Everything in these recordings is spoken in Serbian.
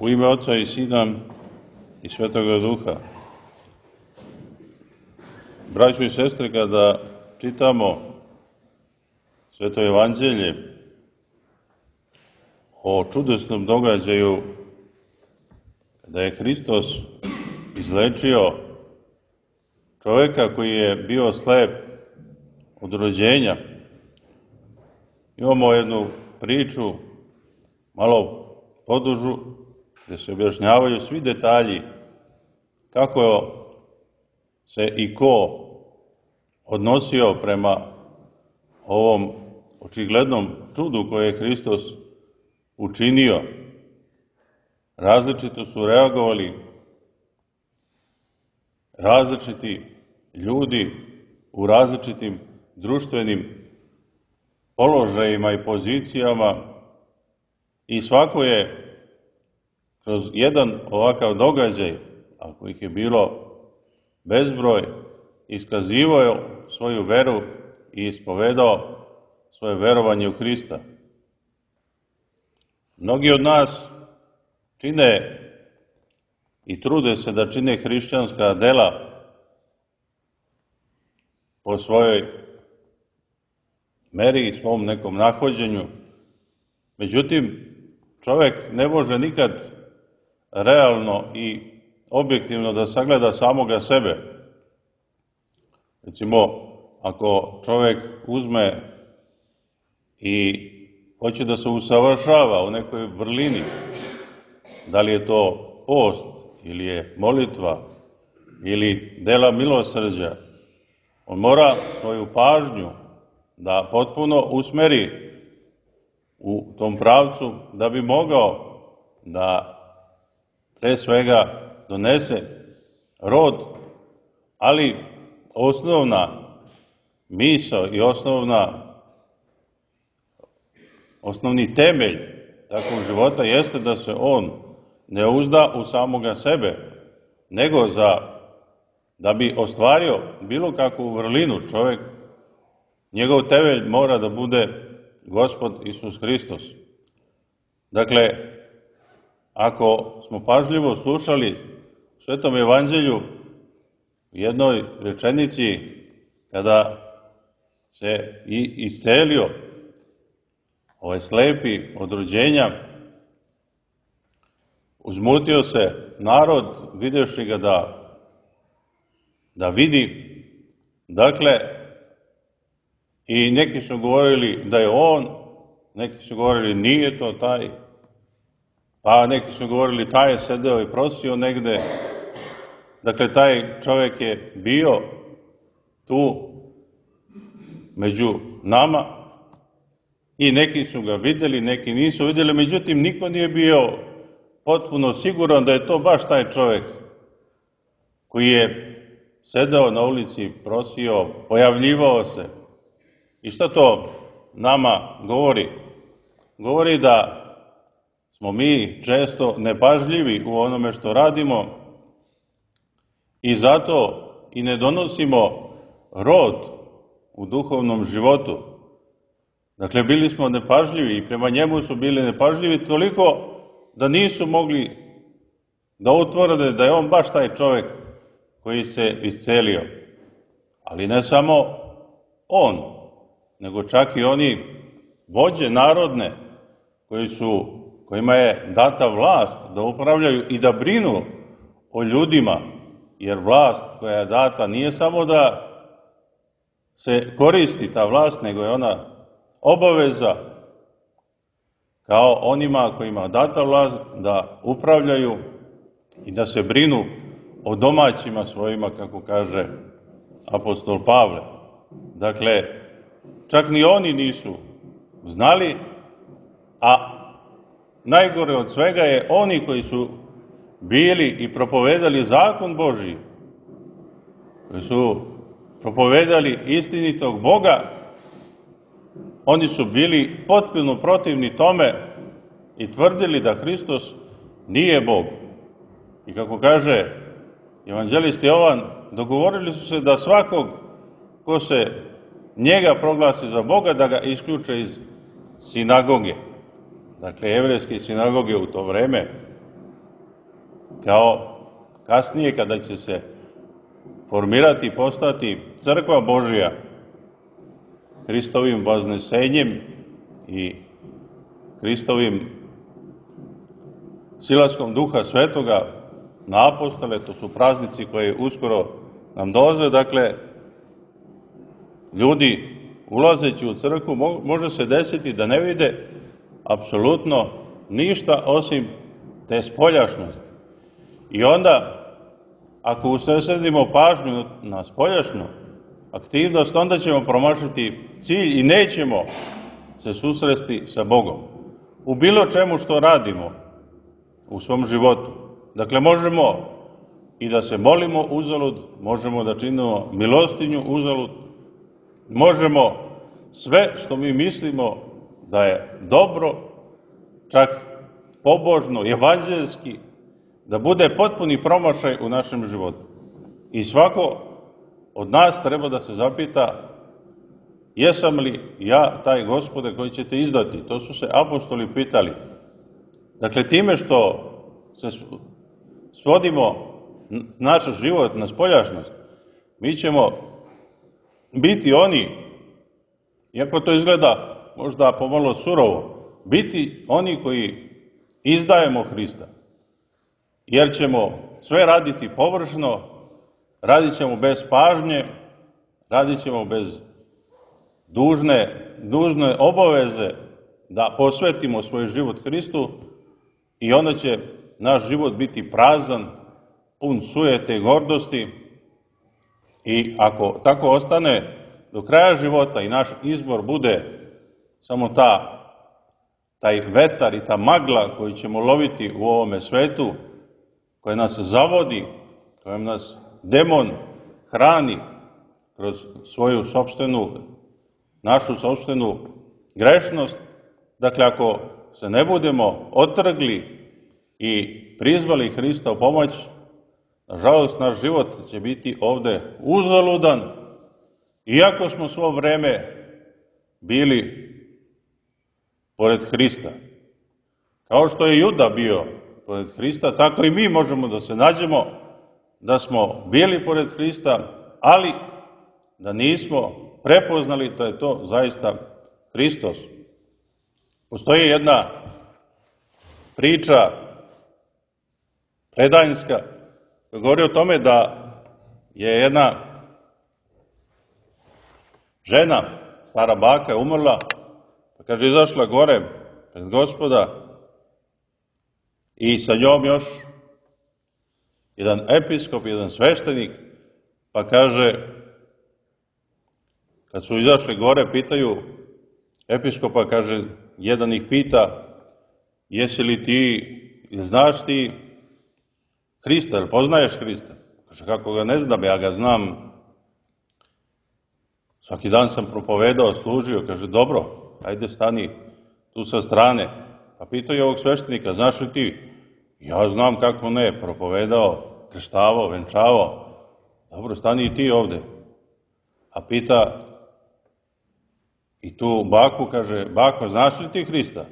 U ime Oca i Sina i Svetoga Duha. Braćo i sestre, kada čitamo Sveto Evanđelje o čudesnom događaju da je Hristos izlečio čovjeka koji je bio slep od rođenja, imamo jednu priču, malo podužu, gdje se objašnjavaju svi detalji kako se i ko odnosio prema ovom očiglednom čudu koje je Hristos učinio. Različito su reagovali različiti ljudi u različitim društvenim položajima i pozicijama i svako je kroz jedan ovakav događaj, ako ih je bilo bezbroj, iskazivao svoju veru i ispovedao svoje verovanje u Hrista. Mnogi od nas čine i trude se da čine hrišćanska dela po svojoj meri i svom nekom nahođenju. Međutim, čovjek ne može nikad realno i objektivno da sagleda samoga sebe. Recimo, ako čovjek uzme i hoće da se usavršava u nekoj vrlini, da li je to post ili je molitva ili dela milosrđa, on mora svoju pažnju da potpuno usmeri u tom pravcu da bi mogao da pre svega donese rod, ali osnovna misao i osnovni temelj takvog života jeste da se on ne uzda u samoga sebe, nego da bi ostvario bilo kakvu vrlinu čovjek, njegov temelj mora da bude Gospod Isus Hristos. Dakle, ako smo pažljivo slušali u Svetom Evanđelju u jednoj rečenici, kada se iscelio ovaj slepi od rođenja, uzmutio se narod videvši ga da vidi. Dakle, i neki su govorili da je on, neki su govorili nije to taj, pa neki su govorili taj je sedeo i prosio negde. Dakle, taj čovjek je bio tu među nama i neki su ga vidjeli, neki nisu vidjeli, međutim niko nije bio potpuno siguran da je to baš taj čovjek koji je sedeo na ulici, prosio, pojavljivao se. I šta to nama govori? Govori da smo mi često nepažljivi u onome što radimo i zato i ne donosimo rod u duhovnom životu. Dakle, bili smo nepažljivi i prema njemu su bili nepažljivi toliko da nisu mogli da utvrde da je on baš taj čovjek koji se iscelio. Ali ne samo on, nego čak i oni vođe narodne kojima je data vlast da upravljaju i da brinu o ljudima, jer vlast koja je data nije samo da se koristi ta vlast, nego je ona obaveza kao onima kojima je data vlast da upravljaju i da se brinu o domaćima svojima, kako kaže apostol Pavle. Dakle, čak ni oni nisu znali, a najgore od svega je oni koji su bili i propovedali zakon Božji, koji su propovedali istinitog Boga, oni su bili potpuno protivni tome i tvrdili da Hristos nije Bog. I kako kaže evanđelist Jovan, dogovorili su se da svakog ko se njega proglasi za Boga, da ga isključe iz sinagoge. Dakle, jevrejske sinagoge u to vreme kao kasnije kada će se formirati i postati crkva Božja Hristovim vaznesenjem i Hristovim silaskom Duha Svetoga na apostole. To su praznici koji uskoro nam dolaze. Dakle, ljudi ulazeći u crkvu može se desiti da ne vide apsolutno ništa osim te spoljašnosti. I onda, ako usredsredimo pažnju na spoljašnu aktivnost, onda ćemo promašiti cilj i nećemo se susresti sa Bogom u bilo čemu što radimo u svom životu. Dakle, možemo i da se molimo uzalud, možemo da činimo milostinju uzalud, možemo sve što mi mislimo da je dobro, čak pobožno, evanđelski, da bude potpuni promašaj u našem životu. I svako od nas treba da se zapita: jesam li ja taj Gospode koji ćete izdati? To su se apostoli pitali. Dakle, time što se svodimo naš život na spoljašnost, mi ćemo biti oni, iako to izgleda možda pomalo surovo, biti oni koji izdajemo Hrista. Jer ćemo sve raditi površno, radit ćemo bez pažnje, radit ćemo bez dužne obaveze da posvetimo svoj život Hristu i onda će naš život biti prazan, pun sujete i gordosti. I ako tako ostane do kraja života i naš izbor bude samo taj vetar i ta magla koju ćemo loviti u ovome svetu, koja nas zavodi, kojom nas demon hrani kroz svoju našu sopstvenu grešnost, dakle, ako se ne budemo otrgli i prizvali Hrista u pomoć, nažalost, naš život će biti ovde uzaludan, iako smo svo vreme bili pored Hrista. Kao što je Juda bio pored Hrista, tako i mi možemo da se nađemo da smo bili pored Hrista, ali da nismo prepoznali da je to zaista Hristos. Postoji jedna priča predajnička koja govori o tome da je jedna žena, stara baka, umrla, pa kaže, izašla gore pred Gospoda i sa njom još jedan episkop, jedan sveštenik, pa kaže, kad su izašli gore, pitaju episkopa, kaže, jedan ih pita: jesi li ti, ili znaš ti Hrista, ili poznaješ Hrista? Kaže, kako ga ne znam, ja ga znam. Svaki dan sam propovedao, služio. Kaže, dobro, ajde stani tu sa strane. Pa pitaju ovog sveštenika: znaš li ti? Ja znam, kako ne, propovedao, krštavao, venčavao. Dobro, stani i ti ovde. A pita i tu baku, kaže, bako, znaš li ti Hrista?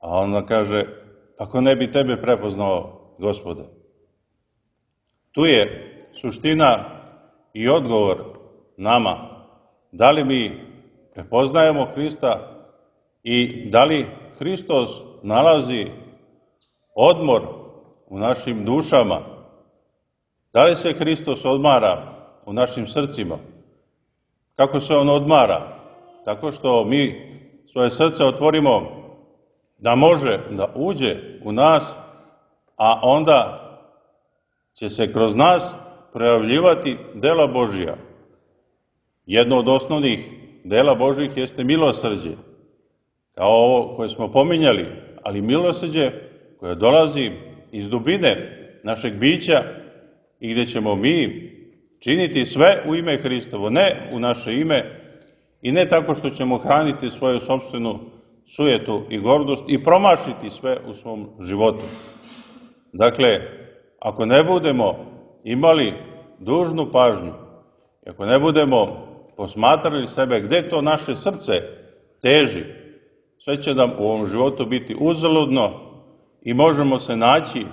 A ona kaže, pa ko ne bi tebe prepoznao, Gospode? Tu je suština i odgovor nama. Da li mi prepoznajemo Hrista i da li Hristos nalazi odmor u našim dušama? Da li se Hristos odmara u našim srcima? Kako se on odmara? Tako što mi svoje srce otvorimo da može da uđe u nas, a onda će se kroz nas projavljivati dela Božija. Jedno od osnovnih dela Božjih jeste milosrđe, kao ovo koje smo pominjali, ali milosrđe koje dolazi iz dubine našeg bića i gde ćemo mi činiti sve u ime Hristovo, ne u naše ime i ne tako što ćemo hraniti svoju sopstvenu sujetu i gordost i promašiti sve u svom životu. Dakle, ako ne budemo imali dužnu pažnju, ako ne budemo posmatrali sebe gde to naše srce teži, sve će nam u ovom životu biti uzaludno i možemo se naći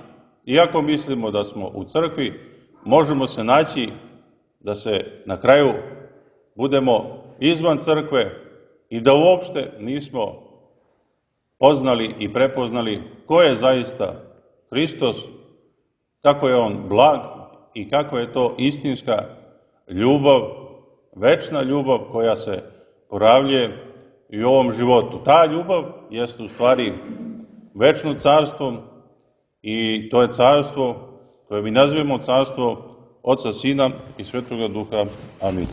iako mislimo da smo u crkvi, možemo se naći da se na kraju budemo izvan crkve i da uopšte nismo poznali i prepoznali ko je zaista Hristos, kako je on blag i kako je to istinska ljubav, večna ljubav koja se poravljuje i u ovom životu. Ta ljubav jeste u stvari večno carstvo i to je carstvo koje mi nazivamo carstvo Oca, Sina i Svetoga Duha. Amin.